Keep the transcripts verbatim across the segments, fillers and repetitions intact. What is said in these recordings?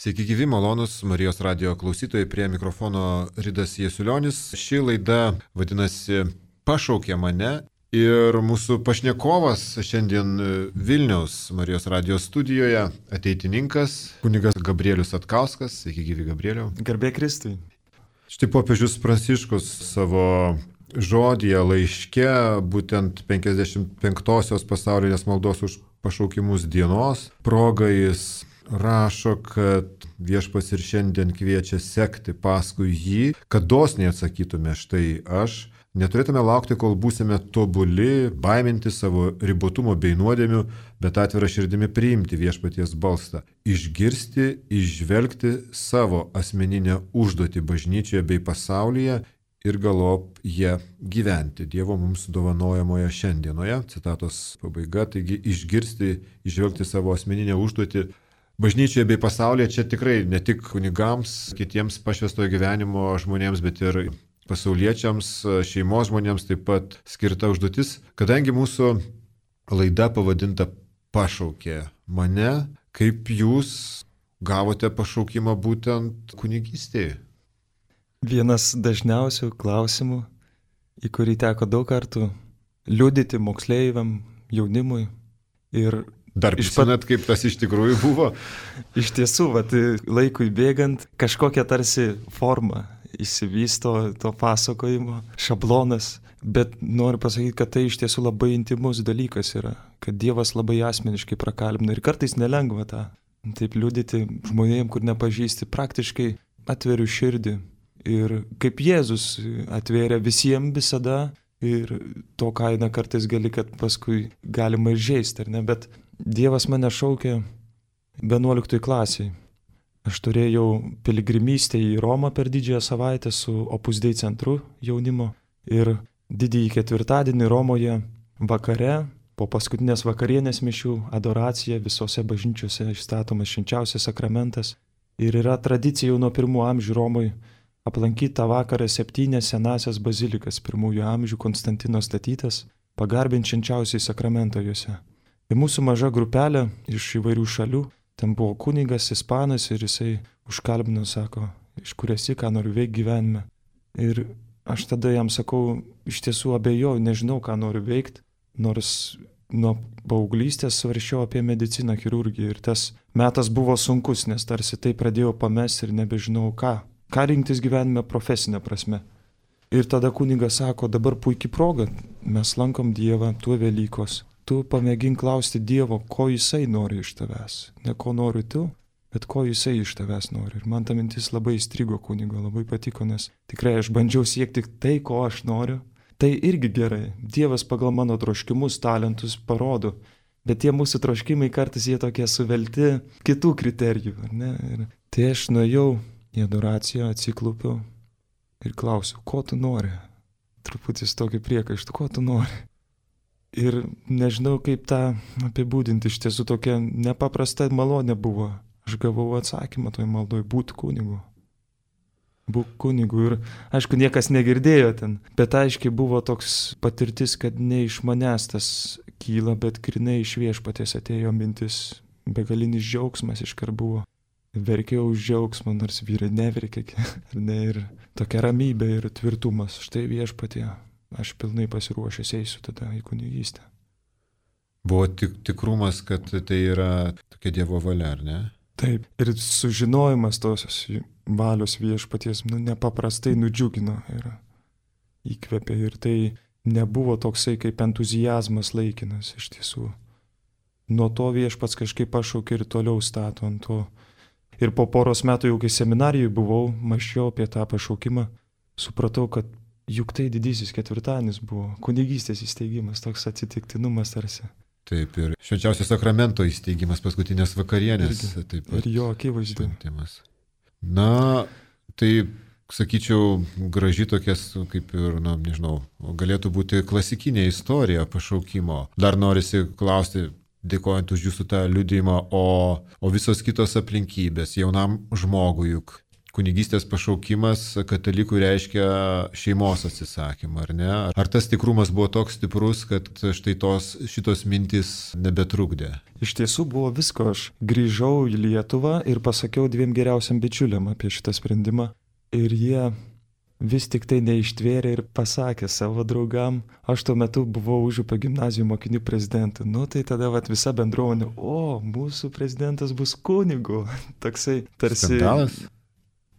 Sveiki gyvi, malonus Marijos radijo klausytojai, prie mikrofono Ridas Jasiulionis. Ši laida vadinasi Pašaukė mane ir mūsų pašnekovas šiandien Vilniaus Marijos radijos studijoje ateitininkas, kunigas Gabrielius Satkauskas. Sveiki gyvi, Gabrieliau. Garbė Kristui. Štai popiežius Pranciškus savo žodyje laiške, būtent penkiasdešimt penktosios pasaulinės maldos už pašaukimus dienos proga jis rašo, kad viešpats ir šiandien kviečia sekti paskui jį, kad dosniai atsakytume štai aš. Neturėtume laukti, kol būsime tobuli, baiminti savo ribotumo bei nuodėmių, bet atvira širdimi priimti viešpaties balsą. Išgirsti, išžvelgti savo asmeninę užduotį bažnyčioje bei pasaulyje ir galop jie gyventi Dievo mums dovanojamoje šiandienoje. Citatos pabaiga. Taigi išgirsti, išžvelgti savo asmeninę užduotį bažnyčioje bei pasaulyje, čia tikrai ne tik kunigams, kitiems pašvęstojo gyvenimo žmonėms, bet ir pasauliečiams, šeimos žmonėms taip pat skirta užduotis. Kadangi mūsų laida pavadinta Pašaukė mane, kaip jūs gavote pašaukimą būtent kunigystėje? Vienas dažniausių klausimų, į kurį teko daug kartų liudyti moksleiviam, jaunimui ir Dar prisimenat, kaip tas iš tikrųjų buvo? Iš tiesų, vat, laikui bėgant, kažkokia tarsi forma įsivysto to pasakojimo, šablonas, bet noriu pasakyti, kad tai iš tiesų labai intimus dalykas yra, kad Dievas labai asmeniškai prakalbina ir kartais nelengva tą, taip liudyti žmonėm, kur nepažįsti, praktiškai atveriu širdį ir kaip Jėzus atvėrė visiems visada ir to kainą kartais gali, kad paskui galima ir žeisti, ar ne, bet Dievas mane šaukė vienuoliktoj klasiai. Aš turėjau piligrimystę į Romą per didžiąją savaitę su Opus Dei centru jaunimo ir didįjį ketvirtadienį Romoje vakare, po paskutinės vakarienės mišių, adoracija visose bažnyčiose išstatomas švenčiausias sakramentas ir yra tradicija jau nuo pirmų amžių Romoje aplankyti tą vakarą septynias senasias bazilikas pirmųjų amžių Konstantino statytas, pagarbinti švenčiausiai sakramentą juose. Ir mūsų maža grupelė iš įvairių šalių, ten buvo kunigas, ispanas ir jisai užkalbino, sako, iš kur esi, ką noriu veikti gyvenime. Ir aš tada jam sakau, iš tiesų abejoju, nežinau, ką noriu veikti, nors nuo paauglystės svarsčiau apie mediciną, chirurgiją ir tas metas buvo sunkus, nes tarsi tai pradėjau pamesti ir nebežinau ką. Ką rinktis gyvenime profesinė prasme. Ir tada kunigas sako, dabar puikiai proga, mes lankom Dievą, tuo Velykos. Tu pamėgink klausti Dievo, ko jisai nori iš tavęs. Ne ko nori tu, bet ko jisai iš tavęs nori. Ir man ta mintis labai įstrigo kunigo, labai patiko, nes tikrai aš bandžiau siekti tai, ko aš noriu. Tai irgi gerai. Dievas pagal mano troškimus, talentus parodo. Bet tie mūsų troškimai kartais jie tokie suvelti kitų kriterijų. Ar ne? Ir tai aš nuėjau į adoraciją, atsiklupiau ir klausiu, ko tu nori? Truputis tokį priekaištą, ko tu nori? Ir nežinau, kaip tą apibūdinti, iš tiesų tokia nepaprasta malonė buvo. Aš gavau atsakymą toj maldoj, būt kunigu. Būk kunigu. Ir aišku, niekas negirdėjo ten, bet aiškiai buvo toks patirtis, kad ne iš manęs tas kyla, bet grinai iš viešpaties atėjo mintis, begalinis džiaugsmas iškart buvo. Verkiau už džiaugsmą, nors vyrai neverkė, ne, ir tokia ramybė ir tvirtumas. Štai viešpatie. Aš pilnai pasiruošęs eisiu tada į kunigystę. Buvo tik, tikrumas, kad tai yra tokia Dievo valia, ar ne? Taip. Ir sužinojimas tos valios viešpaties, nu, nepaprastai nudžiugino ir įkvėpė. Ir tai nebuvo toksai kaip entuziazmas laikinas iš tiesų. Nuo to viešpats kažkaip pašaukė ir toliau stato ant to. Ir po poros metų jau kai seminarijoje buvau, mąsčiau apie tą pašaukimą, supratau, kad juk tai didysis ketvirtadienis buvo, kunigystės įsteigimas, toks atsitiktinumas tarsi. Taip, ir švenčiausio sakramento įsteigimas, paskutinės vakarienės. Taip pat. Ir jo akivaizdu. Na, tai, sakyčiau, graži tokias, kaip ir, na, nežinau, galėtų būti klasikinė istorija pašaukimo. Dar norisi klausti, dėkojant už jūsų tą liudijimą, o, o visos kitos aplinkybės, jaunam žmogui juk kunigystės pašaukimas katalikų reiškia šeimos atsisakymą, ar ne? Ar tas tikrumas buvo toks stiprus, kad štai tos, šitos mintys nebetrukdė? Iš tiesų buvo visko. Aš grįžau į Lietuvą ir pasakiau dviem geriausiam bičiuliam apie šitą sprendimą. Ir jie vis tik tai neištvėrė ir pasakė savo draugam. Aš tuo metu buvau Užupio gimnazijų mokinių prezidentu. Nu tai tada vat, visa bendruomenė, o, mūsų prezidentas bus kunigu. Toksai tarsi... Skandalas?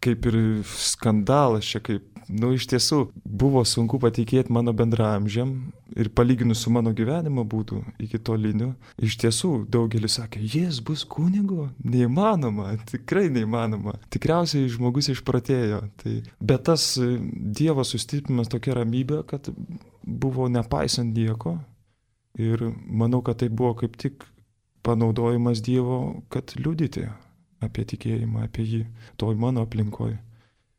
Kaip ir skandalas čia, kaip, nu iš tiesų, buvo sunku patikėti mano bendraamžiam ir palyginus su mano gyvenimo būtų iki tolinių. Iš tiesų, daugelis sakė, jis bus kunigu? Neįmanoma, tikrai neįmanoma. Tikriausiai žmogus išprotėjo. Tai, bet tas Dievo sustiprinimas tokia ramybė, kad buvo nepaisant nieko. Ir manau, kad tai buvo kaip tik panaudojimas Dievo, kad liudyti apie tikėjimą, apie jį, toj mano aplinkoje.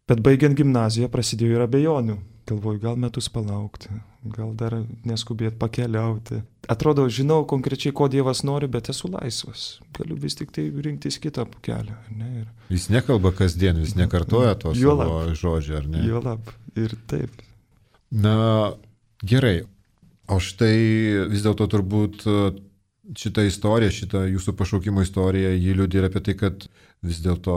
Bet baigiant gimnaziją prasidėjo ir abejonių. Galvoju, gal metus palaukti, gal dar neskubėti pakeliauti. Atrodo, žinau konkrečiai, ko Dievas nori, bet esu laisvas. Galiu vis tik tai rinktis kitą kelią. Ne? Ir... Jis nekalba kasdien, vis nekartoja to savo žodžio, ar ne? Juolab, ir taip. Na, gerai. O štai vis dėlto turbūt šitą istoriją, šitą jūsų pašaukimo istoriją, jį liudija ir apie tai, kad vis dėlto,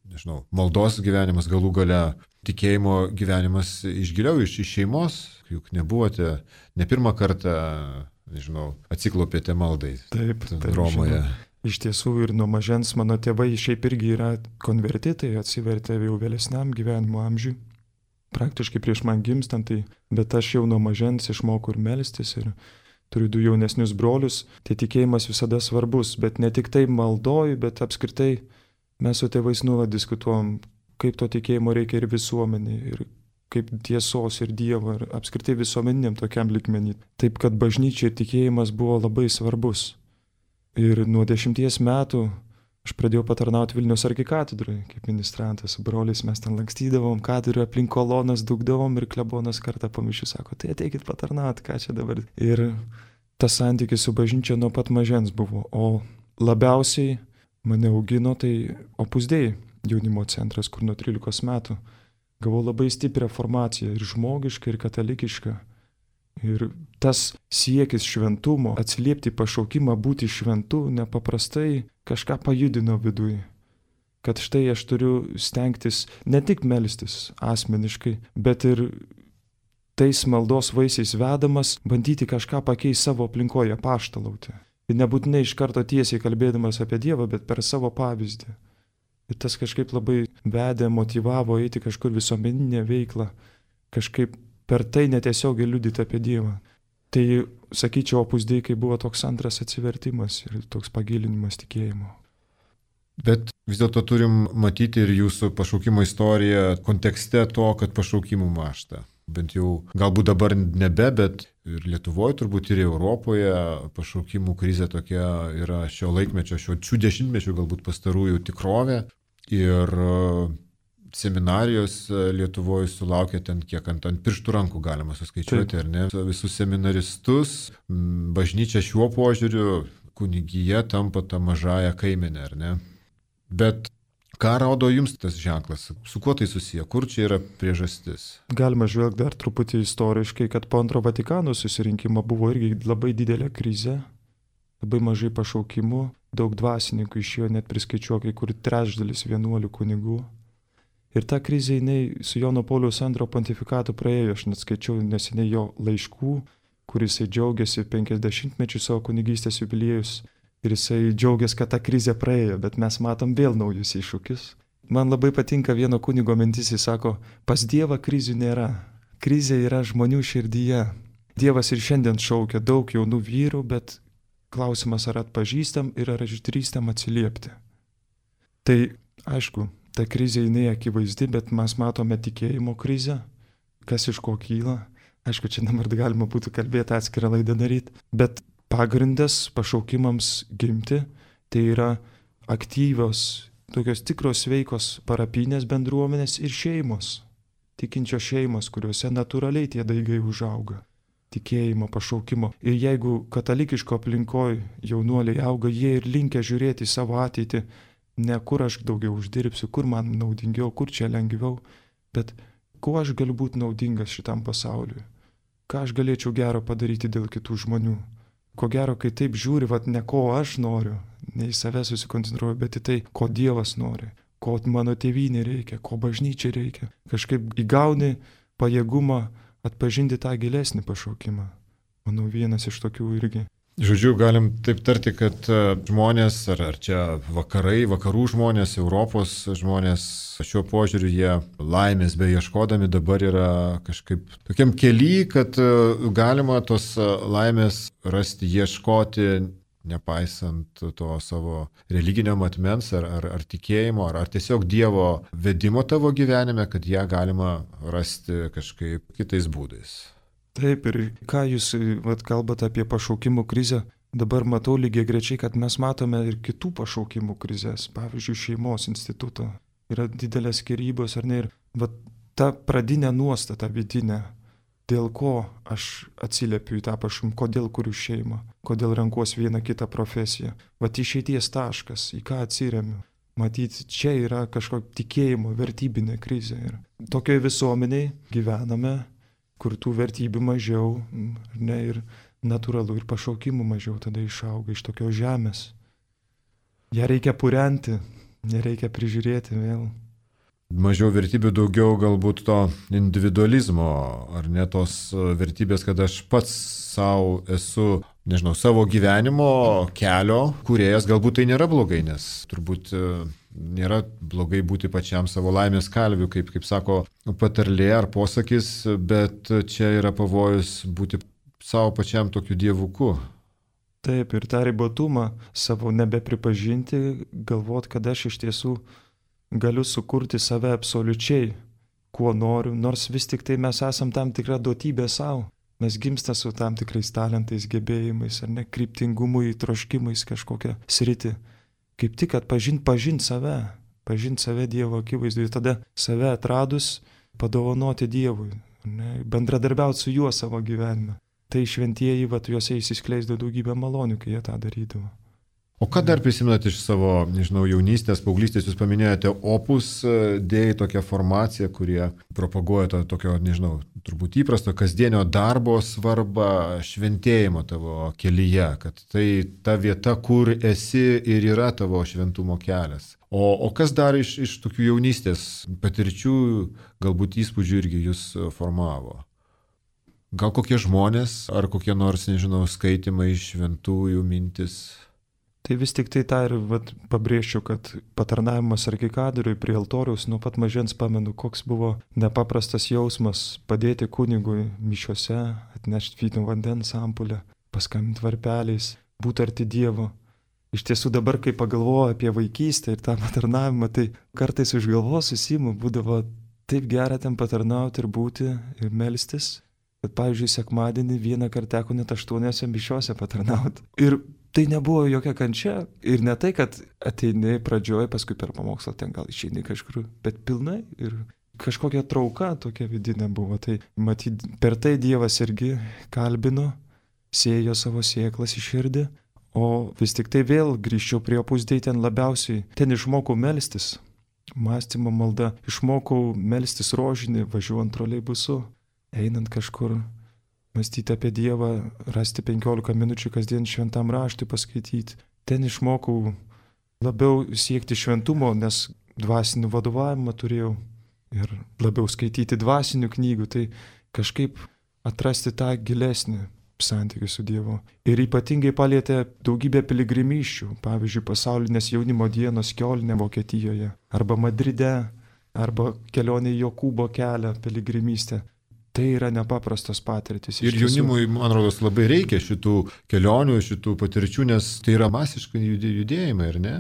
nežinau, maldos gyvenimas, galų gale tikėjimo gyvenimas išgiliau iš, iš šeimos, juk nebuvote ne pirmą kartą, nežinau, atsiklopėte maldai. Taip, taip. Romoje. Žinau. Iš tiesų ir nuo mažens mano tėvai šiaip irgi yra konvertitai, atsivertė jau vėlesniam gyvenimo amžiui. Praktiškai prieš man gimstant, tai, bet aš jau nuo mažens išmokau ir melstis ir turiu du jaunesnius brolius, tai tikėjimas visada svarbus, bet ne tik tai maldoju, bet apskritai mes su tėvais nuolat diskutuojam, kaip to tikėjimo reikia ir visuomenį, ir kaip tiesos ir Dievo, ir apskritai visuomeniniam tokiam lygmenį. Taip, kad bažnyčia ir tikėjimas buvo labai svarbus. Ir nuo dešimties metų aš pradėjau patarnauti Vilniaus arkikatedrai, kaip ministrantas, su broliais mes ten lankstydavom, katedrą aplink kolonas dugdavom ir klebonas kartą po mišių sako, tai ateikit patarnauti, ką čia dabar. Ir tas santykis su bažnyčia nuo pat mažens buvo, o labiausiai mane augino tai Opus Dei jaunimo centras, kur nuo trylikos metų gavau labai stiprią formaciją ir žmogišką, ir katalikišką. Ir tas siekis šventumo, atsiliepti pašaukimą būti šventu, nepaprastai kažką pajudino viduje. Kad štai aš turiu stengtis ne tik melstis asmeniškai, bet ir tais maldos vaisiais vedamas, bandyti kažką pakeisti savo aplinkoje, apaštalauti. Ir nebūtinai iš karto tiesiai kalbėdamas apie Dievą, bet per savo pavyzdį. Ir tas kažkaip labai vedė, motyvavo eiti kažkur visuomeninę veiklą, kažkaip per tai netiesiogiai liudyti apie Dievą. Tai, sakyčiau, Opus Dei kai buvo toks antras atsivertimas ir toks pagilinimas tikėjimo. Bet vis dėlto turim matyti ir jūsų pašaukimo istoriją kontekste to, kad pašaukimų mąžta. Bent jau galbūt dabar nebe, bet ir Lietuvoje, turbūt ir Europoje pašaukimų krizė tokia yra šio laikmečio, šio šių dešimtmečių galbūt pastarųjų tikrovė. Ir seminarijos Lietuvoje sulaukia ten kiek ant, ant pirštų rankų galima suskaičiuoti, Taip. Ar ne? Visus seminaristus, bažnyčia šiuo požiūriu, kunigija tampa tą mažąją kaimenę, ar ne? Bet ką rodo jums tas ženklas? Su kuo tai susiję? Kur čia yra priežastis? Galima žvelgti dar truputį istoriškai, kad po antro Vatikano susirinkimo buvo irgi labai didelė krizė, labai mažai pašaukimų, daug dvasininkų išėjo, net priskaičiuo kai kur trečdalis vienuolių kunigų. Ir ta krizė, jinai su Jono Pauliaus antro pontifikatu praėjo, aš net skaičiau neseniai jo laiškų, kur jisai džiaugiasi penkiasdešimtmečių savo kunigystės jubiliejus. Ir jisai džiaugiasi, kad ta krizė praėjo, bet mes matom vėl naujus iššūkius. Man labai patinka vieno kunigo mintis, jis sako, pas Dievą krizių nėra. Krizė yra žmonių širdyje. Dievas ir šiandien šaukia daug jaunų vyrų, bet klausimas ar atpažįstam ir ar išdrįstam atsiliepti. Tai aišku, ta krizė jinai akivaizdi, bet mes matome tikėjimo krizę, kas iš ko kyla. Aišku, čia dabar galima būtų kalbėti atskirą laidą daryti, bet pagrindas pašaukimams gimti, tai yra aktyvios, tokios tikros veikos parapinės bendruomenės ir šeimos, tikinčios šeimos, kuriuose natūraliai tie daigai užauga, tikėjimo, pašaukimo. Ir jeigu katalikiško aplinkoje jaunuoliai auga, jie ir linkę žiūrėti į savo ateitį Ne kur aš daugiau uždirbsiu, kur man naudingiau, kur čia lengviau, bet kuo aš galiu būti naudingas šitam pasauliui. Ką aš galėčiau gero padaryti dėl kitų žmonių. Ko gero, kai taip žiūri, vat ne ko aš noriu, ne į save susikoncentruoju, bet į tai, ko Dievas nori, ko mano tėvynė reikia, ko bažnyčia reikia. Kažkaip įgauni pajėgumą atpažinti tą gilesnį pašaukimą. Manau, vienas iš tokių irgi. Žodžiu, galim taip tarti, kad žmonės, ar, ar čia vakarai, vakarų žmonės, Europos žmonės, šiuo požiūriu jie laimės beieškodami dabar yra kažkaip tokiam kely, kad galima tos laimės rasti, ieškoti, nepaisant to savo religinio matmens ar, ar, ar tikėjimo, ar, ar tiesiog Dievo vedimo tavo gyvenime, kad ją galima rasti kažkaip kitais būdais. Taip, ir ką jūs vat, kalbate apie pašaukimų krizę, dabar matau lygiai grečiai, kad mes matome ir kitų pašaukimų krizės, pavyzdžiui, šeimos instituto. Yra didelės skyrybos, ar ne, ir vat, ta pradinė nuostata vidinė, dėl ko aš atsiliepiu į tą pašaukimą, kodėl kuriu šeimą, kodėl renkuosi vieną kitą profesiją. Vat išeities taškas, į ką atsiremiu. Matyti, čia yra kažkokia tikėjimo, vertybinė krizė. Ir tokioje visuomenėje gyvename, kur tų vertybių mažiau, ne, ir natūralu, ir pašaukimų mažiau tada išauga iš tokios žemės. Ja reikia purenti, nereikia prižiūrėti vėl. Mažiau vertybių, daugiau galbūt to individualizmo, ar ne tos vertybės, kad aš pats savo esu, nežinau, savo gyvenimo kelio kūrėjas, galbūt tai nėra blogai, nes turbūt nėra blogai būti pačiam savo laimės kalviu, kaip, kaip sako patarlė ar posakis, bet čia yra pavojus būti savo pačiam tokiu dievuku. Taip, ir tą ribotumą savo nebepripažinti, galvot, kad aš iš tiesų galiu sukurti save absoliučiai, kuo noriu, nors vis tik tai mes esam tam tikra duotybė savo. Mes gimsta su tam tikrais talentais, gebėjimais, ar ne, kryptingumui, troškimais kažkokią sritį. Kaip tik atpažint, pažint save, pažint save Dievo akivaizdui, tada save atradus padovanoti Dievui, ne, bendradarbiauti su juo savo gyvenime. Tai šventieji, vat, juose įsiskleisdavo daugybę malonių, kai jie tą darydavo. O ką dar prisimenate iš savo, nežinau, jaunystės, paauglystės, jūs paminėjote Opus Dei, tokią formaciją, kurie propaguoja to tokio, nežinau, turbūt įprasto kasdienio darbo svarbą šventėjimo tavo kelyje, kad tai ta vieta, kur esi ir yra tavo šventumo kelias. O, o kas dar iš, iš tokių jaunystės patirčių, galbūt įspūdžių irgi jūs formavo? Gal kokie žmonės, ar kokie nors, nežinau, skaitimai šventųjų mintis? Tai vis tik tai tą ir vat, pabrėžčiau, kad patarnavimas arkikadoriui prie altoriaus nuo pat mažens pamenu, koks buvo nepaprastas jausmas padėti kunigui mišiuose, atnešti vyno vandens ampulę, paskambinti varpeliais, būti arti Dievo. Iš tiesų dabar, kai pagalvoju apie vaikystę ir tą patarnavimą, tai kartais už galvos susimu, būdavo taip gera ten patarnauti ir būti ir melstis, kad, pavyzdžiui, sekmadienį vieną kartą teko net aštuoniose mišiuose patarnauti. Ir tai nebuvo jokia kančia. Ir ne tai, kad ateini pradžioje, paskui per pamokslą ten gal išeini kažkur, bet pilnai. Ir kažkokia trauka tokia vidinė buvo. Tai matyt, per tai Dievas irgi kalbino, sėjo savo sėklas į širdį. O vis tik tai vėl grįžčiau prie Opus Dei, ten labiausiai, ten išmokau melstis. Mąstymo malda. Išmokau melstis rožinį, važiuojant troleibusu, einant kažkur. Mąstyti apie Dievą, rasti penkiolika minučių kasdien šventam raštui paskaityti. Ten išmokau labiau siekti šventumo, nes dvasinį vadovavimą turėjau ir labiau skaityti dvasinių knygų, tai kažkaip atrasti tą gilesnį santykį su Dievu. Ir ypatingai palietė daugybę piligrimysčių, pavyzdžiui, pasaulinės jaunimo dienos Kioline, Vokietijoje, arba Madride, arba kelionė į Jokūbo kelią, piligrimystę. Tai yra nepaprastos patirtis. Ir jaunimui, man rodos, labai reikia šitų kelionių, šitų patirčių, nes tai yra masiškai judėjimai, ar ne?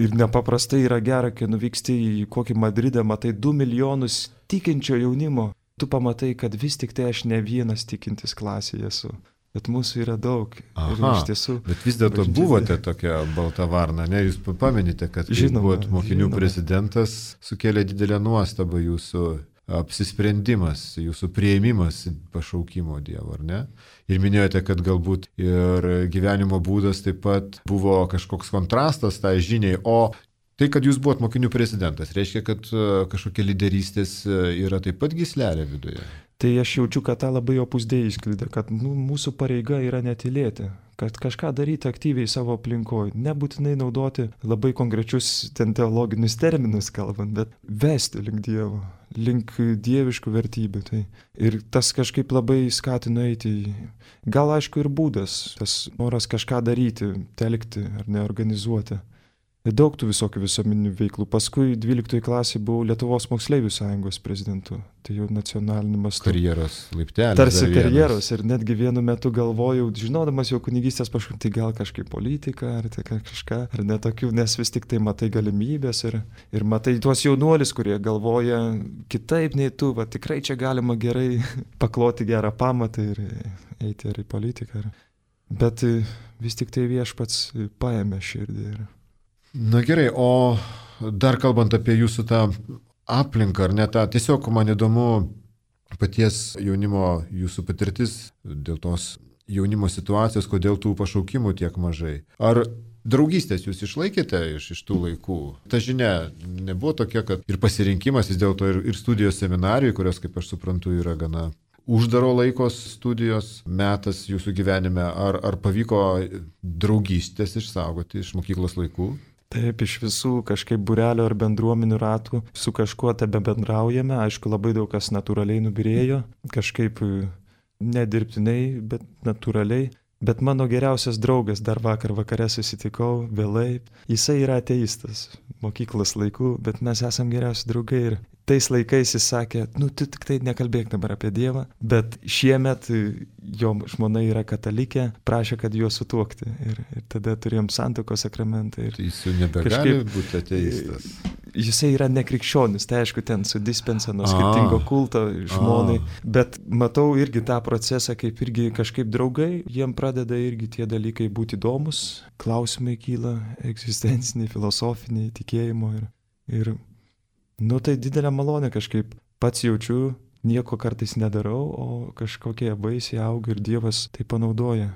Ir nepaprastai yra gera, kai nuvyksti į kokį Madridą, matai du milijonus tikinčio jaunimo. Tu pamatai, kad vis tik tai aš ne vienas tikintis klasėje esu. Bet mūsų yra daug. Aha, ir iš tiesų, bet vis dėlto buvote tokia balta varna, ne? Jūs pamenite, kad žinoma, buvot mokinių žinoma. Prezidentas, sukėlė didelę nuostabą jūsų apsisprendimas, jūsų priėmimas pašaukimo Dievo, ar ne? Ir minėjote, kad galbūt ir gyvenimo būdas taip pat buvo kažkoks kontrastas tai žiniai, o Tai, kad jūs buvot mokinių prezidentas, reiškia, kad kažkokia lyderystės yra taip pat gyslelė viduje? Tai aš jaučiu, kad tą labai opus dei išskleidė, kad nu, mūsų pareiga yra netylėti, kad kažką daryti aktyviai savo aplinkoje, nebūtinai naudoti labai konkrečius ten teologinius terminus kalbant, bet vesti link Dievo, link dieviškų vertybių. Tai. Ir tas kažkaip labai skatino eiti į... Gal aišku ir būdas, tas noras kažką daryti, telkti ar neorganizuoti. Daug tų visokių visuomeninių veiklų. Paskui dvyliktoje klasėje buvau Lietuvos moksleivių sąjungos prezidentu. Tai jau nacionaliniu mastu. Karjeros laiptelis. Tarsi karjeros. Ir netgi vienu metu galvojau, žinodamas jau kunigystės pašaukimą, tai gal kažkaip politika, ar tai kažką, ar netokių, nes vis tik tai matai galimybės ir, ir matai tuos jaunuolis, kurie galvoja kitaip nei tu, va tikrai čia galima gerai pakloti gerą pamatą ir eiti ar į politiką. Bet vis tik tai Viešpats paėmė širdį. Ir... Na gerai, o dar kalbant apie jūsų tą aplinką, ar ne tą, tiesiog man įdomu paties jaunimo, jūsų patirtis dėl tos jaunimo situacijos, kodėl tų pašaukimų tiek mažai. Ar draugystės jūs išlaikėte iš, iš tų laikų? Ta žinia nebuvo tokia, kad ir pasirinkimas vis dėlto ir, ir studijos seminarijai, kurios, kaip aš suprantu, yra gana uždaro laikos studijos metas jūsų gyvenime, ar, ar pavyko draugystės išsaugoti iš mokyklos laikų? Taip, iš visų kažkaip būrelio ar bendruomenių ratų su kažkuo tebe bendraujame, aišku, labai daug kas natūraliai nubirėjo, kažkaip nedirbtinai, bet natūraliai. Bet mano geriausias draugas, dar vakar vakare susitikau vėlai, jisai yra ateistas mokyklos laikų, bet mes esam geriausi draugai ir tais laikais jis sakė, nu tu tik tai nekalbėk dabar apie Dievą, bet šiemet jo žmona yra katalikė, prašė, kad juos sutuokti ir, ir tada turėjom santuokos sakramentą. Ir jis jau nebegali kažkaip būti ateistas. Jisai yra nekrikščionis, tai aišku, ten su dispensa nuo skirtingo kulto žmonai, bet matau irgi tą procesą, kaip irgi kažkaip draugai, jiem pradeda irgi tie dalykai būti įdomus, klausimai kyla, egzistenciniai, filosofiniai, tikėjimo ir, ir nu tai didelė malonė kažkaip, pats jaučiu, nieko kartais nedarau, o kažkokie vaisiai auga ir Dievas tai panaudoja.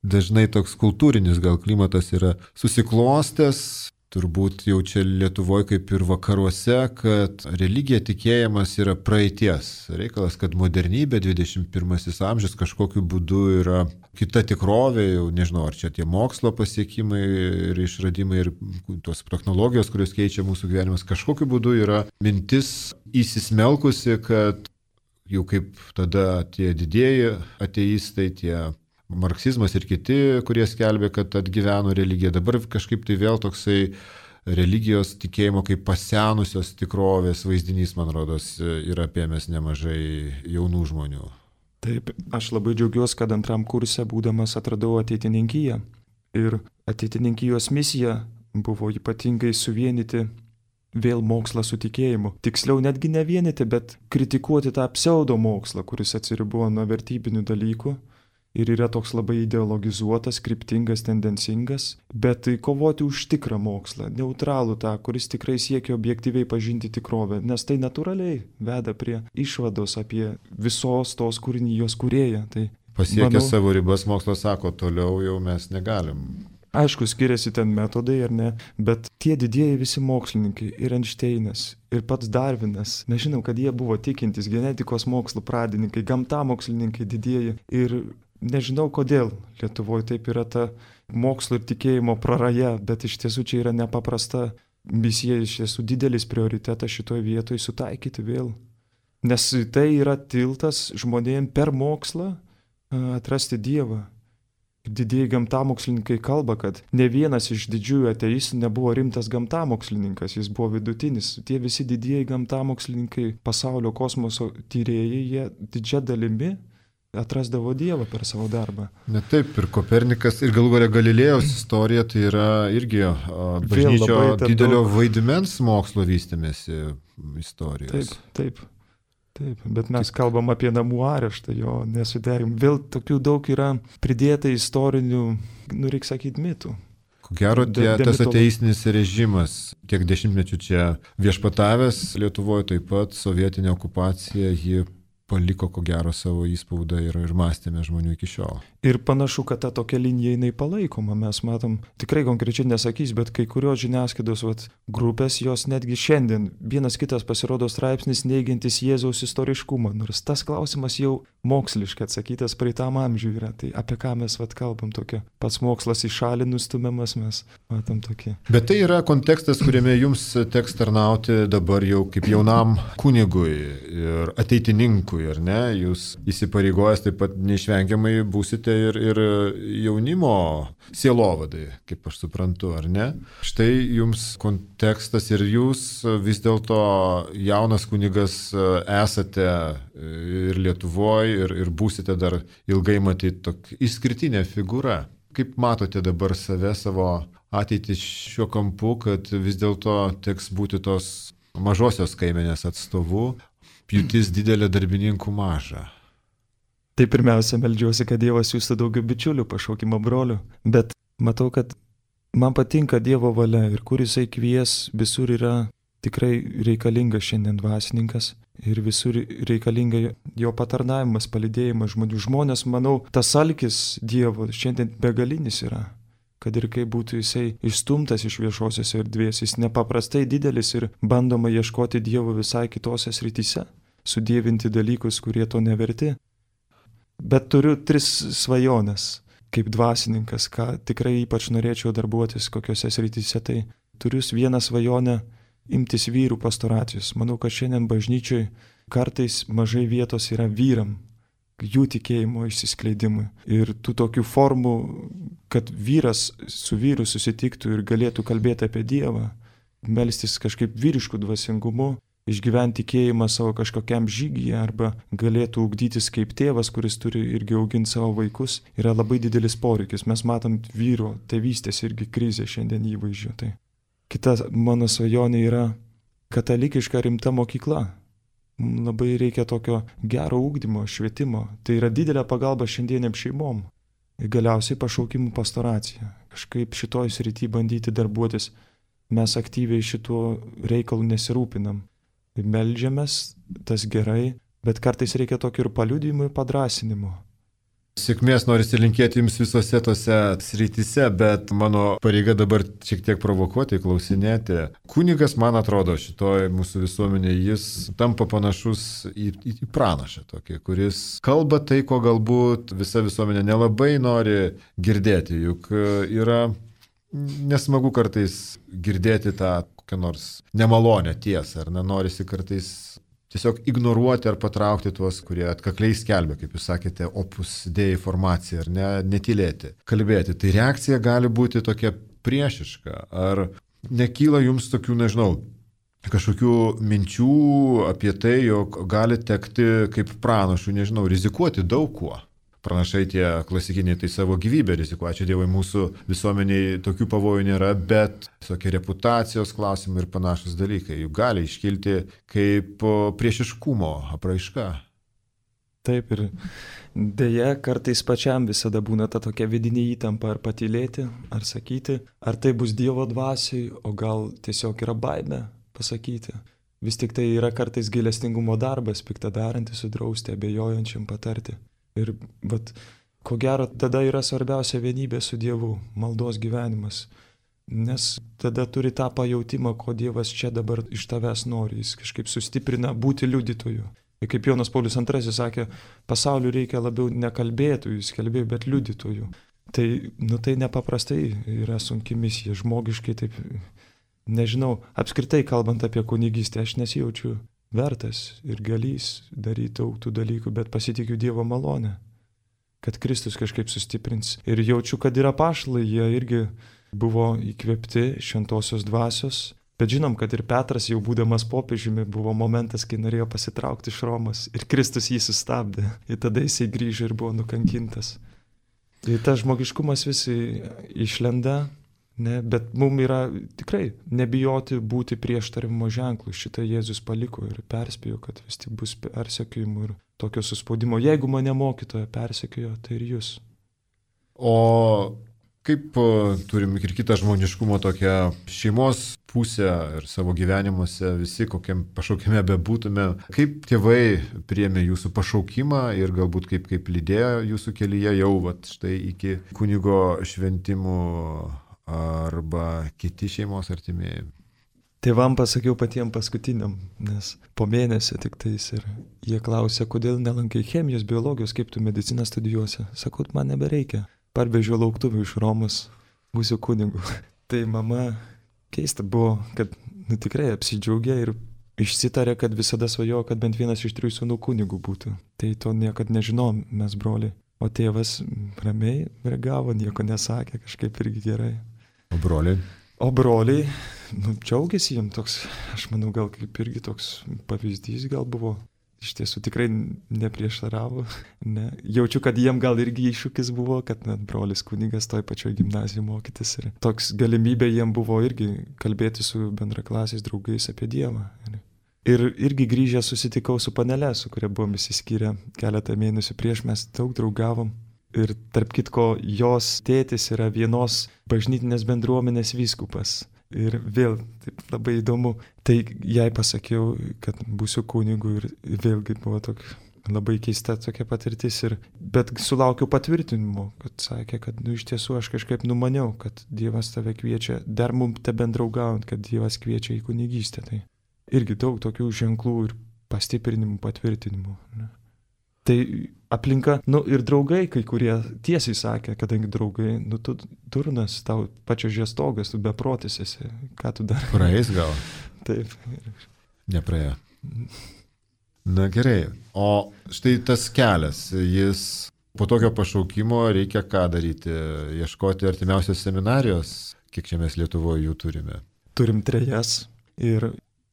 Dažnai toks kultūrinis gal klimatas yra susiklostęs, turbūt jau čia Lietuvoje kaip ir vakaruose, kad religija, tikėjimas yra praeities reikalas, kad modernybė, dvidešimt pirmasis amžius kažkokiu būdu yra kita tikrovė, jau nežinau, ar čia tie mokslo pasiekimai ir išradimai ir tos technologijos, kurios keičia mūsų gyvenimas, kažkokiu būdu yra mintis įsismelkusi, kad jau kaip tada tie didieji ateistai, tie marksizmas ir kiti, kurie skelbė, kad atgyveno religiją. Dabar kažkaip tai vėl toksai religijos tikėjimo kaip pasenusios tikrovės vaizdinys, man rodos, yra apėmęs nemažai jaunų žmonių. Taip, aš labai džiaugiuosi, kad antram kurse būdamas atradau ateitininkiją. Ir ateitininkijos misija buvo ypatingai suvienyti vėl mokslą su tikėjimu. Tiksliau netgi ne vienyti, bet kritikuoti tą pseudo mokslą, kuris atsiribojo nuo vertybinių dalykų. Ir yra toks labai ideologizuotas, kryptingas, tendencingas, bet kovoti už tikrą mokslą, neutralų tą, kuris tikrai siekia objektyviai pažinti tikrovę, nes tai natūraliai veda prie išvados apie visos tos kūrinijos kūrėją. Tai, pasiekę manau, savo ribas, mokslas sako, toliau jau mes negalim. Aišku, skiriasi ten metodai ar ne, bet tie didieji visi mokslininkai, ir Einšteinas, ir pats Darvinas, mes žinom, kad jie buvo tikintys, genetikos mokslų pradininkai, gamtamokslininkai didieji ir nežinau, kodėl Lietuvoje taip yra ta mokslo ir tikėjimo praraja, bet iš tiesų čia yra nepaprasta misija, iš tiesų didelis prioritetas šitoje vietoje sutaikyti vėl. Nes tai yra tiltas žmonėm per mokslą atrasti Dievą. Didieji gamtamokslininkai kalba, kad ne vienas iš didžiųjų ateistų nebuvo rimtas gamtamokslininkas, jis buvo vidutinis. Tie visi didieji gamtamokslininkai, pasaulio kosmoso tyrėjai, jie didžia dalimi atrasdavo Dievą per savo darbą. Ne taip, ir Kopernikas, ir galų galia Galilėjaus istorija, tai yra irgi bažnyčio didelio daug... vaidmens mokslo vystymėsi istorijos. Taip, taip, taip, bet mes kalbam apie namų areštą, jo nesudėrim. Vėl tokių daug yra pridėta istorinių, nu reikia sakyti, mitų. Ko gero, tie, tas ateistinis režimas, kiek dešimtmečių čia viešpatavęs Lietuvoje, taip pat sovietinė okupacija, ji paliko ko gero savo įspaudą ir, ir mąstėme žmonių iki šiol. Ir panašu, kad ta tokia linija jinai palaikoma. Mes matom, tikrai konkrečiai nesakys, bet kai kurios žiniasklaidos vat, grupės, jos netgi šiandien vienas kitas pasirodo straipsnis neigiantis Jėzaus istoriškumą, nors tas klausimas jau moksliškai atsakytas praeitam amžiui yra. Tai apie ką mes vat, kalbam tokia? Pats mokslas į šalį nustumiamas, mes matom tokį. Bet tai yra kontekstas, kuriame jums teks tarnauti dabar jau kaip jaunam kunigui ir ateitininkui. Ar ne? Jūs įsipareigojęs taip pat neišvengiamai būsite ir, ir jaunimo sielovadai, kaip aš suprantu, ar ne? Štai jums kontekstas ir jūs vis dėlto jaunas kunigas esate ir Lietuvoje, ir, ir būsite dar ilgai matyti tokia išskirtinė figūra. Kaip matote dabar save, savo ateitį šiuo kampu, kad vis dėlto teks būti tos mažosios kaimenės atstovu, pjūtis didelė, darbininkų maža? Tai pirmiausia, meldžiuosi, kad Dievas siūstų daugiau bičiulių, pašaukimo brolių. Bet matau, kad man patinka Dievo valia ir kur jisai kvies, visur yra tikrai reikalingas šiandien dvasininkas ir visur reikalinga jo patarnavimas, palydėjimas žmonių. Žmonės, manau, tas alkis Dievo šiandien begalinis yra. Kad ir kaip būtų jisai išstumtas iš viešosios erdvės, jis nepaprastai didelis ir bandoma ieškoti Dievo visai kitose srityse, sudievinti dalykus, kurie to neverti. Bet turiu tris svajones, kaip dvasininkas, ką tikrai ypač norėčiau darbuotis kokiose srityse. Tai turiu vieną svajonę imtis vyrų pastoracijos. Manau, kad šiandien bažnyčioj kartais mažai vietos yra vyram, jų tikėjimo išsiskleidimui. Ir tų tokių formų, kad vyras su vyru susitiktų ir galėtų kalbėti apie Dievą, melstis kažkaip vyriškų dvasingumu, išgyventi tikėjimą savo kažkokiam žygyje arba galėtų ugdytis kaip tėvas, kuris turi irgi auginti savo vaikus, yra labai didelis poreikis. Mes matom vyro tėvystės irgi krizę šiandien įvaizdžio. Tai kita mano svajonė yra katalikiška rimta mokykla. Labai reikia tokio gero ugdymo, švietimo. Tai yra didelė pagalba šiandieniam šeimom. Ir galiausiai pašaukimų pastoracija. Kažkaip šitoj srity bandyti darbuotis. Mes aktyviai šituo reikalu nesirūpinam. Meldžiamės, tas gerai, bet kartais reikia tokio ir paliudijimo ir padrasinimo. Sėkmės norisi linkėti jums visose tose srityse, bet mano pareiga dabar šiek tiek provokuoti, klausinėti. Kunigas, man atrodo, šitoj mūsų visuomenėje, jis tampa panašus į, į pranašą tokį, kuris kalba tai, ko galbūt visa visuomenė nelabai nori girdėti, juk yra nesmagu kartais girdėti tą kokią nors nemalonę tiesą, ar nenorisi kartais tiesiog ignoruoti ar patraukti tuos, kurie atkakliai skelbia, kaip jūs sakėte, opus dei informaciją, ar ne, netylėti, kalbėti. Tai reakcija gali būti tokia priešiška. Ar nekyla jums tokių, nežinau, kažkokių minčių apie tai, jog gali tekti kaip pranašų, nežinau, rizikuoti daug kuo? Pranašai tie klasikiniai tai savo gyvybę rizikuoja. Ačiū Dievui, mūsų visuomeniai tokių pavojų nėra, bet tokie reputacijos klausimai ir panašus dalykai juk gali iškilti kaip priešiškumo apraiška. Taip, ir dėja, kartais pačiam visada būna ta tokia vidinė įtampa, ar patylėti, ar sakyti, ar tai bus Dievo dvasiai, o gal tiesiog yra baimė pasakyti. Vis tik tai yra kartais gailestingumo darbas, piktadarantis sudrausti, abejojančiam patarti. Ir vat, ko gero, tada yra svarbiausia vienybė su Dievu, maldos gyvenimas. Nes tada turi tą pajautimą, ko Dievas čia dabar iš tavęs nori. Jis kažkaip sustiprina būti liudytoju. Ir kaip Jonas Paulius antrasis sakė, pasauliu reikia labiau ne kalbėtojų, skelbėjų, bet liudytojų. Tai, nu, tai nepaprastai yra sunki misija, žmogiškai taip, nežinau, apskritai kalbant apie kunigystę, aš nesijaučiu vertas ir galys daryti daug tų dalykų, bet pasitikiu Dievo malonę, kad Kristus kažkaip sustiprins. Ir jaučiu, kad yra apaštalai, jie irgi buvo įkvėpti šventosios dvasios, bet žinom, kad ir Petras jau būdamas popiežiumi buvo momentas, kai norėjo pasitraukti iš Romos ir Kristus jį sustabdė. Ir tada jisai grįžo ir buvo nukankintas. Ir tas žmogiškumas visi išlenda. Ne, bet mums yra tikrai nebijoti būti prieštaravimo ženklų. Šitą Jėzus paliko ir perspėjo, kad vis tik bus persekiojimų ir tokio suspaudimo. Jeigu mane mokytoja persekiojo, tai ir jūs. O kaip turim ir kitą žmoniškumo tokią šeimos pusę ir savo gyvenimuose visi, kokiam pašaukime bebūtume. Kaip tėvai priėmė jūsų pašaukimą ir galbūt kaip, kaip lydėjo jūsų kelyje jau vat, štai iki kunigo šventimų arba kiti šeimos artimieji? Tėvam pasakiau patiem paskutiniam, nes po mėnesio tik tais ir jie klausė, kodėl nelankai chemijos, biologijos, kaip tu mediciną studijuosi. Sakau, man nebereikia. Parvežiau lauktuvių iš Romos, būsiu kunigu. Tai mama keista buvo, kad nu, tikrai apsidžiaugė ir išsitarė, kad visada svajojo, kad bent vienas iš trijų sūnų kunigų būtų. Tai to niekad nežinom mes broliai. O tėvas ramiai reagavo, nieko nesakė, kažkaip irgi gerai. O broliai? O broliai, nu, džiaugiasi jiem toks, aš manau, gal kaip irgi toks pavyzdys gal buvo. Iš tiesų tikrai neprieštaravo. Ne. Jaučiu, kad jiem gal irgi iššūkis buvo, kad net brolis kunigas toj pačioj gimnazijoje mokytis. Ir toks galimybė jiem buvo irgi kalbėti su bendraklasiais draugais apie Dievą. Ir irgi grįžę susitikau su panele, su kuria buvom įsiskyrę keletą mėnesių prieš, mes daug draugavom. Ir tarp kitko, jos tėtis yra vienos bažnytinės bendruomenės vyskupas. Ir vėl taip labai įdomu, tai jai pasakiau, kad būsiu kunigu ir vėlgi buvo tokia labai keista tokia patirtis. Ir, bet sulaukiau patvirtinimo, kad sakė, kad nu, iš tiesų aš kažkaip numaniau, kad Dievas tave kviečia, dar mums te bendraugaujant, kad Dievas kviečia į kunigystę. Tai irgi daug tokių ženklų ir pastiprinimų, patvirtinimų. Ne? Tai aplinka, nu ir draugai, kai kurie tiesiai sakė, kadangi draugai, nu tu durnas, tau pačio žiestogas, tu beprotis esi, ką tu dar. Praeis gal? Taip. Nepraėjo. Na gerai, o štai tas kelias, jis po tokio pašaukimo reikia ką daryti? Ieškoti artimiausios seminarijos, kiek čia mes Lietuvoje jų turime? Turim trejas ir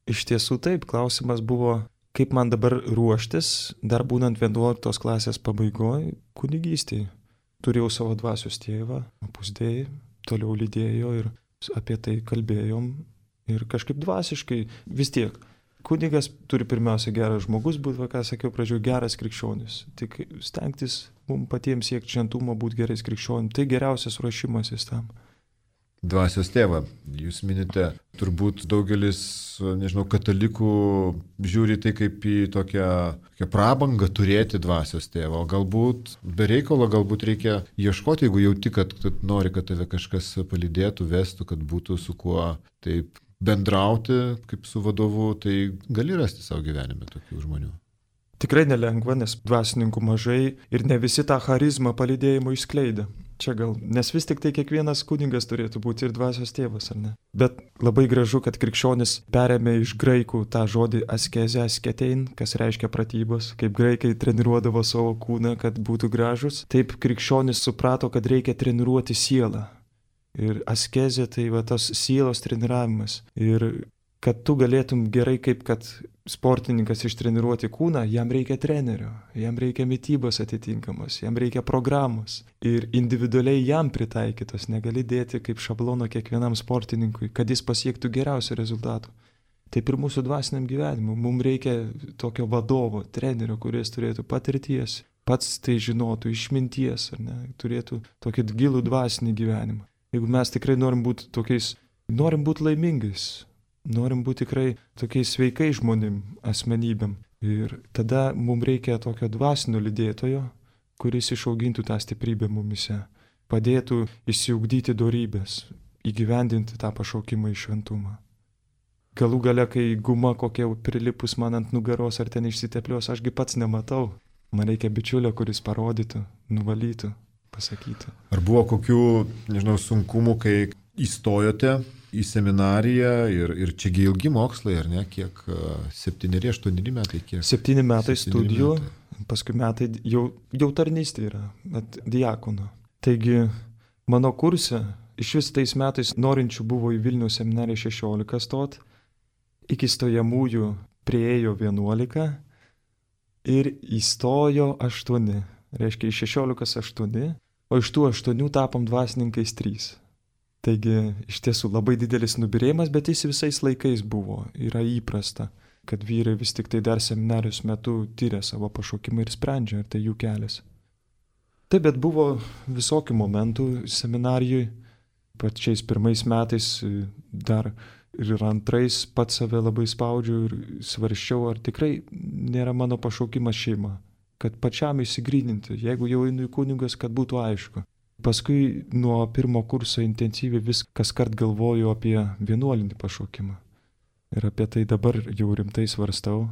iš tiesų taip, klausimas buvo, kaip man dabar ruoštis, dar būnant vienuoliktos klasės pabaigoje, kunigystėje. Turėjau savo dvasios tėvą, pusdėjai, toliau lydėjo ir apie tai kalbėjom. Ir kažkaip dvasiškai vis tiek. Kunigas turi pirmiausia geras žmogus būti, va, ką sakiau pradžioje, geras krikščionis. Tik stengtis mums patiems siekti šventumo, būti gerais krikščionim. Tai geriausias ruošimasis tam. Dvasios tėvą, jūs minite, turbūt daugelis, nežinau, katalikų žiūri tai kaip į tokią, tokią prabangą turėti dvasios tėvą, o galbūt be reikalo, galbūt reikia ieškoti, jeigu jauti, kad, kad nori, kad tave kažkas palydėtų, vestų, kad būtų su kuo taip bendrauti kaip su vadovu, tai gali rasti savo gyvenime tokių žmonių. Tikrai nelengva, nes dvasininkų mažai ir ne visi tą charizmą palydėjimo išskleidė. Čia gal, nes vis tik tai kiekvienas kunigas turėtų būti ir dvasios tėvas, ar ne? Bet labai gražu, kad krikščionis perėmė iš graikų tą žodį askezę, asketein, kas reiškia pratybos. Kaip graikai treniruodavo savo kūną, kad būtų gražus, taip krikščionis suprato, kad reikia treniruoti sielą. Ir askezė tai va tas sielos treniravimas. Ir kad tu galėtum gerai, kaip kad sportininkas ištreniruoti kūną, jam reikia trenerio, jam reikia mitybos atitinkamos, jam reikia programos ir individualiai jam pritaikytos, negali dėti kaip šablono kiekvienam sportininkui, kad jis pasiektų geriausių rezultatų. Taip ir mūsų dvasiniam gyvenimui, mums reikia tokio vadovo, trenerio, kuris turėtų patirties, pats tai žinotų, išminties, ar ne, turėtų tokį gilų dvasinį gyvenimą. Jeigu mes tikrai norim būti tokiais, norim būti laimingais, norim būti tikrai tokiais sveikais žmonėm, asmenybėm. Ir tada mums reikia tokio dvasinio lydėtojo, kuris išaugintų tą stiprybę mumise, padėtų išsiugdyti dorybės, įgyvendinti tą pašaukimą į šventumą. Galų gale, kai guma kokia prilipus man ant nugaros ar ten išsiteplios, ašgi pats nematau. Man reikia bičiulio, kuris parodytų, nuvalytų, pasakytų. Ar buvo kokių, nežinau, sunkumų, kai įstojote į seminariją ir, ir čiagi ilgi mokslai, ar ne? Kiek? Septyneri, aštuoneri metai? Kiek? Septyni metai studijų, metai. Paskui metai jau, jau tarnystė yra, diakono. Taigi mano kurse iš vis tais metais norinčių buvo į Vilniaus seminariją šešiolika stot, iki stojamųjų prieėjo vienuolika ir įstojo aštuoni. Reiškia, iš šešiolikos aštuoni, o iš tų aštuonių tapom dvasininkais trys. Taigi iš tiesų labai didelis nubyrėjimas, bet jis visais laikais buvo, yra įprasta, kad vyrai vis tik tai dar seminarijos metu tyria savo pašaukimą ir sprendžia, ar tai jų kelias. Taip, bet buvo visokių momentų seminarijui, pačiais pirmais metais dar Ir antrais pats save labai spaudžiu ir svarščiau, ar tikrai nėra mano pašaukimas šeima. Kad pačiam įsigryninti, jeigu jau einu į kunigas, kad būtų aišku. Paskui nuo pirmo kurso intensyviai vis kas kart galvoju apie vienuolinį pašaukimą. Ir apie tai dabar jau rimtai svarstau.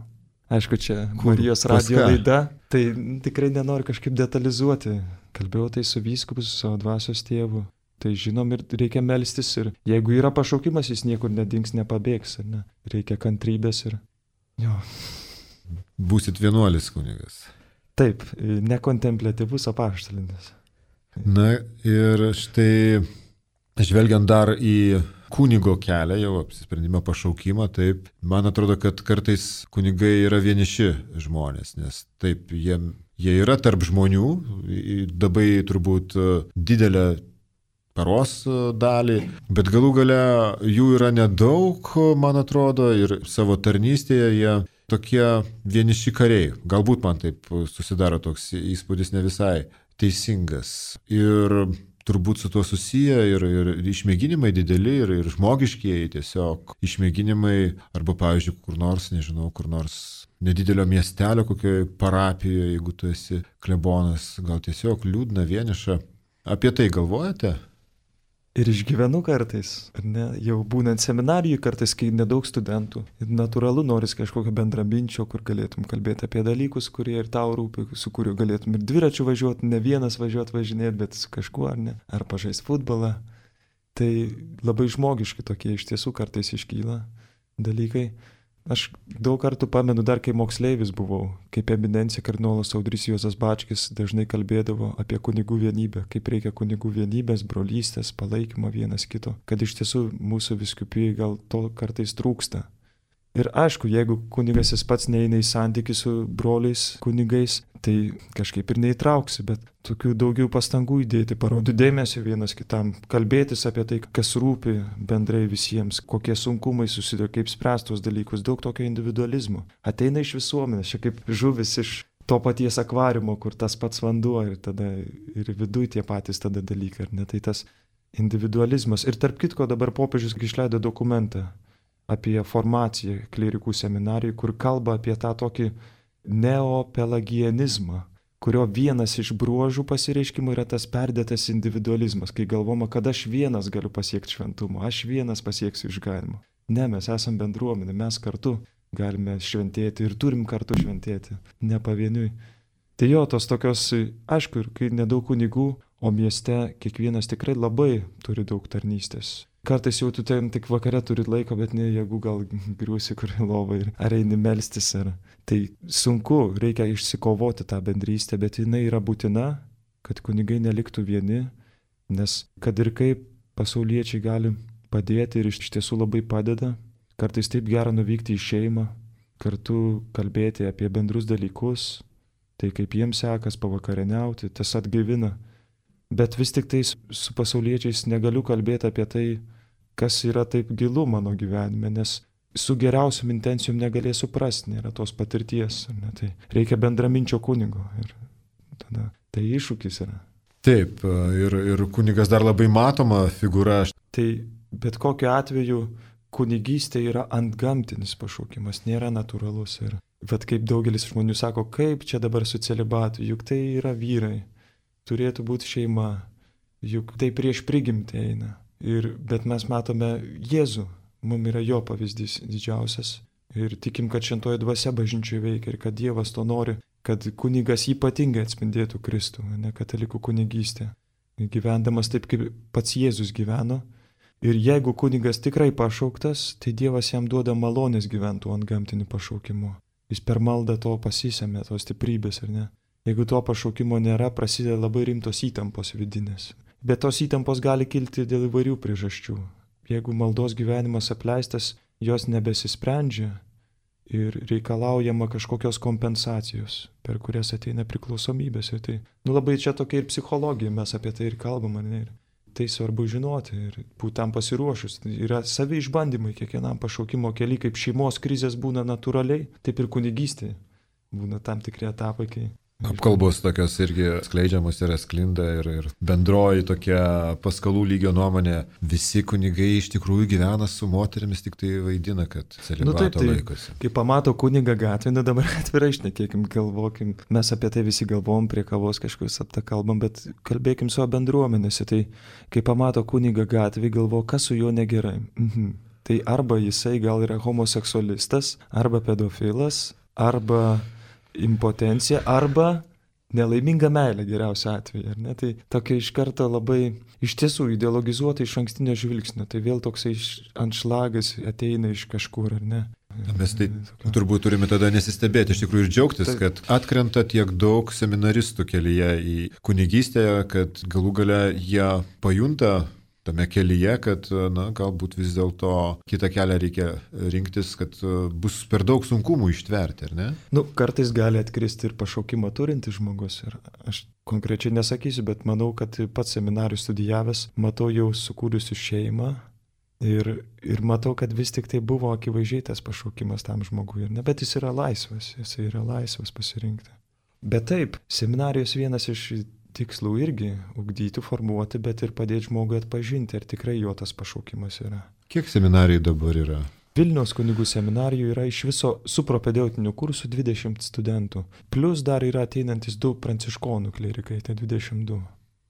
Aišku, čia Kur, Marijos radijo laida, tai tikrai nenoriu kažkaip detalizuoti. Kalbėjau tai su vyskupu, su savo dvasios tėvu. Tai žinom ir reikia melstis ir jeigu yra pašaukimas, jis niekur nedings, nepabėgs. Ne? Reikia kantrybės ir... Jo. Būsit vienuolis kunigas. Taip, nekontempliatyvus apaštalinis. Na ir štai, žvelgiant dar į kunigo kelią, jau apsisprendimą pašaukimą, taip, man atrodo, kad kartais kunigai yra vieniši žmonės, nes taip, jie, jie yra tarp žmonių, labai turbūt didelę paros dalį, bet galų gale jų yra nedaug, man atrodo, ir savo tarnystėje jie tokie vieniši kariai. Galbūt man taip susidaro toks įspūdis ne visai teisingas. Ir turbūt su tuo susiję ir, ir išmėginimai dideli, ir, ir žmogiškieji tiesiog išmėginimai, arba, pavyzdžiui, kur nors, nežinau, kur nors nedidelio miestelio, kokioje parapijoje, jeigu tu esi klebonas, gal tiesiog liūdna, vieniša. Apie tai galvojate? Ir išgyvenu kartais, ar ne, jau būnant seminarijui kartais, kai nedaug studentų. Ir natūralu noris kažkokio bendraminčio, kur galėtum kalbėti apie dalykus, kurie ir tau rūpi, su kuriuo galėtum ir dviračiu važiuoti, ne vienas važiuoti važinėti, bet su kažkuo, ar ne, ar pažaisti futbolą. Tai labai žmogiški tokie iš tiesų kartais iškyla dalykai. Aš daug kartų pamenu, dar kai moksleivis buvau, kaip eminencija kardinolas Audrys Juozas Bačkis dažnai kalbėdavo apie kunigų vienybę, kaip reikia kunigų vienybės, brolystės, palaikymo vienas kito, kad iš tiesų mūsų vyskupijai gal to kartais trūksta. Ir aišku, jeigu kunigas jis pats neina į santykį su broliais kunigais, tai kažkaip ir neįtrauksi, bet tokių daugiau pastangų įdėti, parodyti dėmesio vienas kitam, kalbėtis apie tai, kas rūpi bendrai visiems, kokie sunkumai susiduria, kaip spręstos dalykus, daug tokio individualizmo. Ateina iš visuomenės, čia kaip žuvis iš to paties akvariumo, kur tas pats vanduo ir tada ir viduj tie patys tada dalykai, ar ne, tai tas individualizmas. Ir tarp kitko dabar popiežius išleido dokumentą apie formaciją klerikų seminarijai, kur kalba apie tą tokį neopelagianizmą, kurio vienas iš bruožų pasireiškimų yra tas perdėtas individualizmas, kai galvoma, kad aš vienas galiu pasiekti šventumo, aš vienas pasieksiu išganymą. Ne, mes esam bendruomenė, mes kartu galime šventėti ir turim kartu šventėti, ne pavieniui. Tai jo, tos tokios, aišku, ir kai nedaug kunigų, o mieste kiekvienas tikrai labai turi daug tarnystės. Kartais jau tu ten tik vakare turi laiko, bet ne jėgų gal griūsi kur į lovą ir ar eini melstis. Ar... Tai sunku, reikia išsikovoti tą bendrystę, bet jinai yra būtina, kad kunigai neliktų vieni, nes kad ir kaip pasauliečiai gali padėti ir iš tiesų labai padeda, kartais taip gera nuvykti į šeimą, kartu kalbėti apie bendrus dalykus, tai kaip jiems sekas pavakarieniauti, tas atgaivina. Bet vis tik tai su pasauliečiais negaliu kalbėti apie tai, kas yra taip gilu mano gyvenime, nes su geriausiom intencijom negalėsiu suprasti, nėra tos patirties. Ne? Tai reikia bendraminčio kunigo ir tada tai iššūkis yra. Taip, ir, ir kunigas dar labai matoma figūra. Tai bet kokiu atveju kunigystė yra antgamtinis pašaukimas, nėra natūralus. Ir bet kaip daugelis žmonių sako, kaip čia dabar su celibatu, juk tai yra vyrai. Turėtų būti šeima, juk tai prieš prigimtį eina. Ir, bet mes matome Jėzų, mums yra jo pavyzdys didžiausias. Ir tikim, kad šventoji dvasia bažnyčioje veikia ir kad Dievas to nori, kad kunigas ypatingai atspindėtų Kristų, ne katalikų kunigystė. Gyvendamas taip, kaip pats Jėzus gyveno. Ir jeigu kunigas tikrai pašauktas, tai Dievas jam duoda malonės gyventų antgamtiniu pašaukimu. Jis per maldą to pasisėmė, tos stiprybės, ar ne? Jeigu to pašaukimo nėra, prasideda labai rimtos įtampos vidinės. Bet tos įtampos gali kilti dėl įvairių priežasčių. Jeigu maldos gyvenimas apleistas, jos nebesisprendžia ir reikalaujama kažkokios kompensacijos, per kurias ateina priklausomybės. Ir tai, nu labai čia tokia ir psichologija, mes apie tai ir kalbam, ne? Ir tai svarbu žinoti ir būti tam pasiruošus. Yra savi išbandymai kiekvienam pašaukimo kely, kaip šeimos krizės būna natūraliai, taip ir kunigystė būna tam tikri etapai, kai Apkalbos tokios irgi skleidžiamos yra sklinda ir, ir bendroji tokia paskalų lygio nuomonė. Visi kunigai iš tikrųjų gyvena su moterimis, tik tai vaidina, kad celibato nu, taip, tai, laikosi. Kai pamato kunigą gatvę, nu dabar atvirai šnekėkim, galvokim. Mes apie tai visi galvom, prie kavos kažkokius apta kalbam, bet kalbėkim su bendruomenėse. Tai kai pamato kunigą gatvę, galvo, kas su juo negerai. Mhm. Tai arba jisai gal yra homoseksualistas, arba pedofilas, arba impotencija, arba nelaiminga meilė geriausia atveju, ar ne? Tai tokia iš karto labai iš tiesų ideologizuota iš ankstinio žvilgsnio, tai vėl toksai anšlagas ateina iš kažkur, ar ne? Mes tai turbūt turime tada nesistebėti, iš tikrųjų ir džiaugtis, kad atkrenta tiek daug seminaristų kelyje į kunigystę, kad galų gale jie pajunta tame kelyje, kad na, galbūt vis dėlto kitą kelią reikia rinktis, kad bus per daug sunkumų ištverti, ar ne? Nu, kartais gali atkristi ir pašaukimą turintis žmogus. Ir aš konkrečiai nesakysiu, bet manau, kad pats seminarijų studijavęs, matau jau sukūrusiu šeimą ir, ir matau, kad vis tik tai buvo akivaizdžiai tas pašaukimas tam žmogui. Ne? Bet jis yra laisvas, jis yra laisvas pasirinkti. Bet taip, seminarijos vienas iš tikslų irgi ugdyti, formuoti, bet ir padėti žmogui atpažinti, ar tikrai jo tas pašaukimas yra. Kiek seminarijų dabar yra? Vilniaus kunigų seminarijų yra iš viso su propedeutiniu kursu dvidešimt studentų. Plus dar yra ateinantis du pranciškonų klerikai, tai dvidešimt du.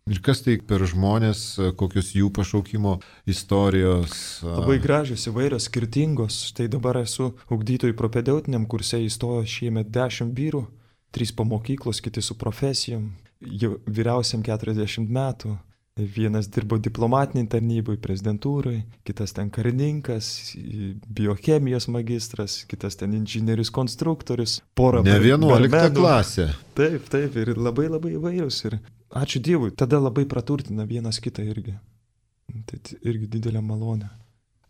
Ir kas tai per žmonės, kokios jų pašaukimo istorijos? Labai gražios, įvairios, skirtingos. Štai dabar esu ugdytojų propedeutiniam kurse, įstojo šiemet dešimt vyrų, trys po mokyklos, kiti su profesijom. Jau vyriausiam keturiasdešimt metų. Vienas dirbo diplomatiniai tarnybai, prezidentūrai, kitas ten karininkas, biochemijos magistras, kitas ten inžinierius konstruktorius, pora ne vienuolikta klasė. Taip, taip, ir labai labai įvairius. Ir ačiū Dievui, tada labai praturtina vienas kitą irgi. Tai irgi didelė malonė.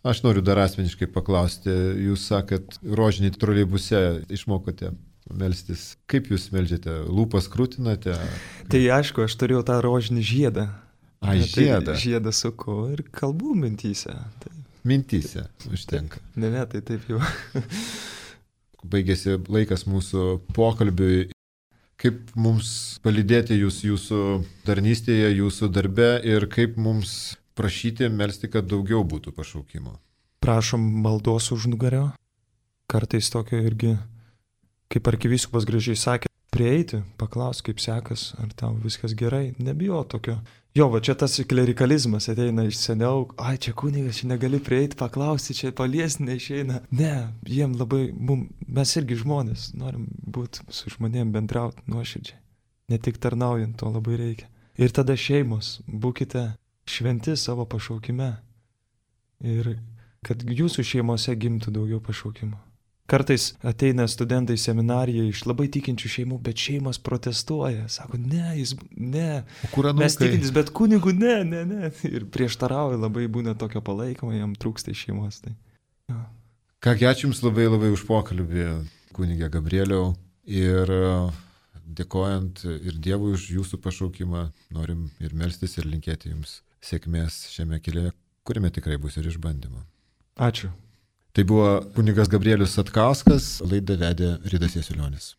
Aš noriu dar asmeniškai paklausti, jūs sakat, rožinį troleibuse išmokote melstis. Kaip jūs meldžiate? Lūpas krūtinate? Tai aišku, aš turėjau tą rožinį žiedą. A, žiedą? Tai žiedą suku ir kalbų mintyse. Tai... Mintyse užtenka. Ne, ne, tai taip jau. Baigėsi laikas mūsų pokalbiui. Kaip mums palydėti jūs jūsų tarnystėje, jūsų darbe ir kaip mums prašyti melsti, kad daugiau būtų pašaukimo? Prašom maldos už nugario. Kartais tokio irgi, kaip arkivyskupas gražiai sakė, prieiti, paklausti, kaip sekas, ar tau viskas gerai, nebijo tokio. Jo, va čia tas klerikalizmas ateina iš seniau, ai čia kunigas, čia negali prieiti, paklausti, čia paliesti neišeina. Ne, jiem labai, mum, mes irgi žmonės, norim būti su žmonėm bendrauti nuoširdžiai. Ne tik tarnaujant, to labai reikia. Ir tada šeimos, būkite šventi savo pašaukime. Ir kad jūsų šeimose gimtų daugiau pašaukimo. Kartais ateina studentai į seminariją iš labai tikinčių šeimų, bet šeimas protestuoja. Sako, ne, jis, ne, mes tikintis, bet kunigų, ne, ne, ne. Ir prieštarauja, labai būna tokio palaikymo, jam trūksta iš šeimos. Tai, ja. Kągi, ačiū Jums labai labai už pokalbį, kunigė Gabrieliau. Ir dėkojant ir Dievui už Jūsų pašaukimą, norim ir melstis, ir linkėti Jums sėkmės šiame kelyje, kuriame tikrai bus ir išbandymo. Ačiū. Tai buvo kunigas Gabrielius Satkauskas, laidą vedė Ridas Jasiulionis.